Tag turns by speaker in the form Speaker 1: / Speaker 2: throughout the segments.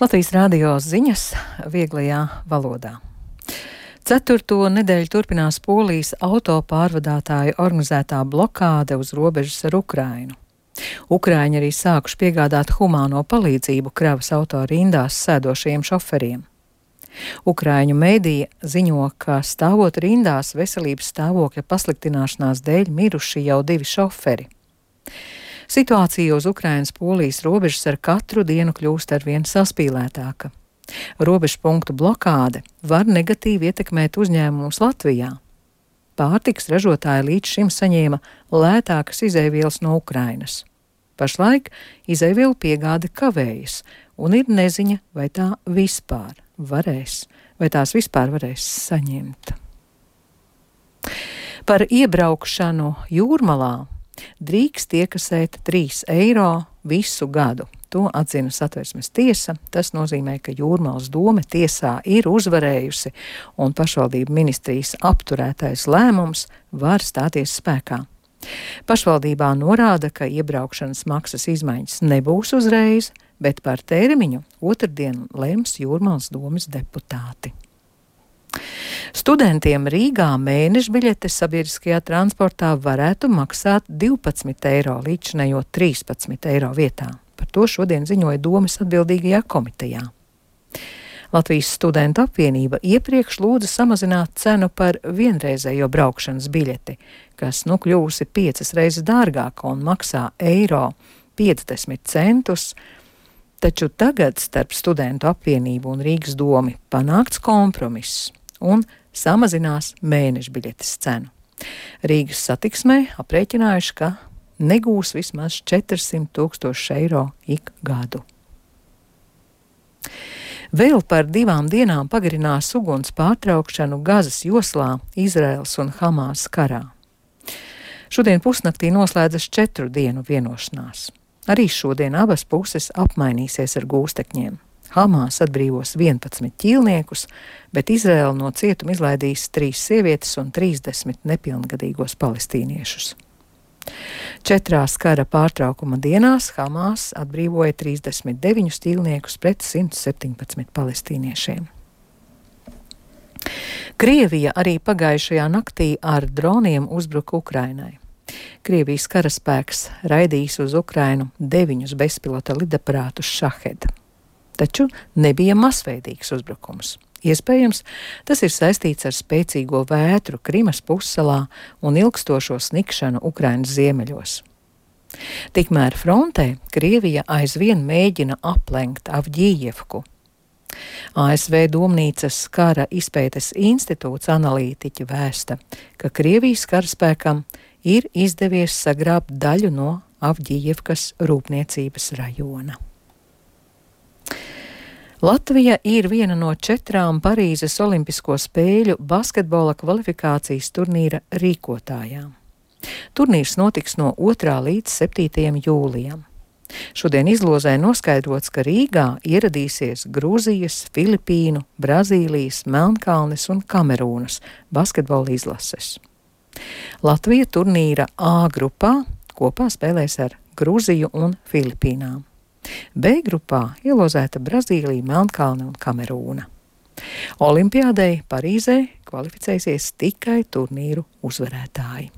Speaker 1: Latvijas radio ziņas vieglajā valodā. 4. nedēļu turpinās Polijas autopārvadātāju organizētā blokāde uz robežas ar Ukrainu. Ukraiņi arī sākuši piegādāt humāno palīdzību kravas auto rindās sēdošajiem šoferiem. Ukraiņu mēdīja ziņo, ka stāvot rindās veselības stāvokļa pasliktināšanās dēļ miruši jau 2 šoferi. Situācija uz Ukrainas-Polijas robežas ar katru dienu kļūst arvien saspīlētāka. Robežu punktu blokāde var negatīvi ietekmēt uzņēmumus Latvijā. Pārtikas ražotāji līdz šim saņēma lētākas izeivielas no Ukrainas. Pašlaik izeivielu piegāde kavējas, un ir neziņa, vai tās vispār varēs saņemt. Par iebraukšanu Jūrmalā drīkst iekasēt 3 eiro visu gadu. To atzina Satversmes tiesa. Tas nozīmē, ka Jūrmalas dome tiesā ir uzvarējusi, un pašvaldību ministrijas apturētais lēmums var stāties spēkā. Pašvaldībā norāda, ka iebraukšanas maksas izmaiņas nebūs uzreiz, bet par termiņu otrdien lems Jūrmalas domes deputāti. Studentiem Rīgā mēneša biļetes sabiedriskajā transportā varētu maksāt 12 eiro, līdzinējot 13 eiro vietā. Par to šodien ziņoja domes atbildīgajā komitejā. Latvijas studentu apvienība iepriekš lūdza samazināt cenu par vienreizējo braukšanas biļeti, kas kļūsi 5 reizes dārgāka un maksā eiro 50 centus, taču tagad starp studentu apvienību un Rīgas domi panākts kompromiss un samazinās mēneša biļetes cenu. Rīgas satiksmē aprēķinājuši, ka negūs vismaz 400 000 eiro ik gadu. Vēl par 2 dienām pagarinās uguns pārtraukšanu Gazas joslā Izraels un Hamās karā. Šodien pusnaktī noslēdzas 4 dienu vienošanās. Arī šodien abas puses apmainīsies ar gūstekņiem. Hamās atbrīvos 11 ķīlniekus, bet Izraela no cietuma izlaidīs 3 sievietes un 30 nepilngadīgos palestīniešus. 4 kara pārtraukuma dienās Hamās atbrīvoja 39 ķīlniekus pret 117 palestīniešiem. Krievija arī pagājušajā naktī ar droniem uzbruka Ukrainai. Krievijas karaspēks raidījis uz Ukrainu 9 bezpilota lidaparātus Šahed. Taču nebija masveidīgs uzbrukums. Iespējams, tas ir saistīts ar spēcīgo vētru Krimas pussalā un ilgstošo snikšanu Ukrainas ziemeļos. Tikmēr frontē Krievija aizvien mēģina aplenkt Avģijevku. ASV Domnīcas kara izpētes institūts analītiķi vēsta, ka Krievijas karaspēkam ir izdevies sagrābt daļu no Avģijevkas rūpniecības rajona. Latvija ir viena no 4 Parīzes Olimpisko spēļu basketbola kvalifikācijas turnīra rīkotājām. Turnīrs notiks no 2. līdz 7. jūlijam. Šodien izlozē noskaidrots, ka Rīgā ieradīsies Grūzijas, Filipīnu, Brazīlijas, Melnkalnes un Kamerūnas basketbola izlases. Latvija turnīra A grupā kopā spēlēs ar Grūziju un Filipīnām. B grupā ielozēta Brazīlija, Melnkalne un Kamerūna. Olimpiādei Parīzē kvalificēsies tikai turnīru uzvarētāji.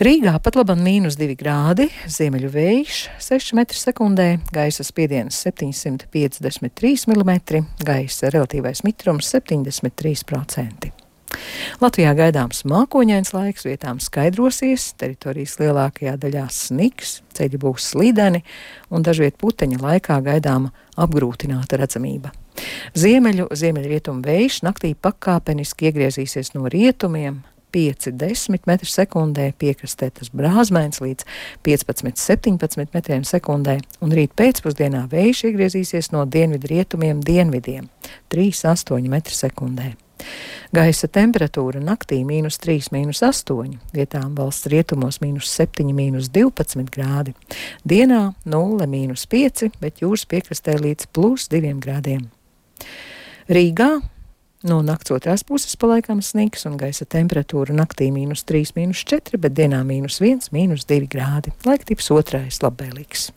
Speaker 1: Rīgā pat labam -2 grādi, ziemeļu vējš 6 m/sekundē, gaisa spiediens 753 mm, gaisa relatīvais mitrums 73%. Latvijā gaidāms mākoņains laiks, vietām skaidrosies, teritorijas lielākajā daļā sniks, ceļi būs slideni un dažviet puteņa laikā gaidāma apgrūtināta redzamība. Ziemeļrietumu vējš naktī pakāpeniski iegriezīsies no rietumiem 5–10 m/sekundē, piekrastē tas brāzmēns līdz 15–17 m/sekundē, un rīt pēcpusdienā vējš iegriezīsies no dienvidrietumiem dienvidiem 3–8 m/sekundē. Gaisa temperatūra naktī -3, -8, vietām valsts rietumos -7, -12 grādi. Dienā 0, -5, bet jūras piekrastē līdz +2 grādiem. Rīgā no nakts otrās puses palaikam sniks un gaisa temperatūra naktī -3, -4, bet dienā -1, -2 grādi. Laiktips otrais labvēlīgs.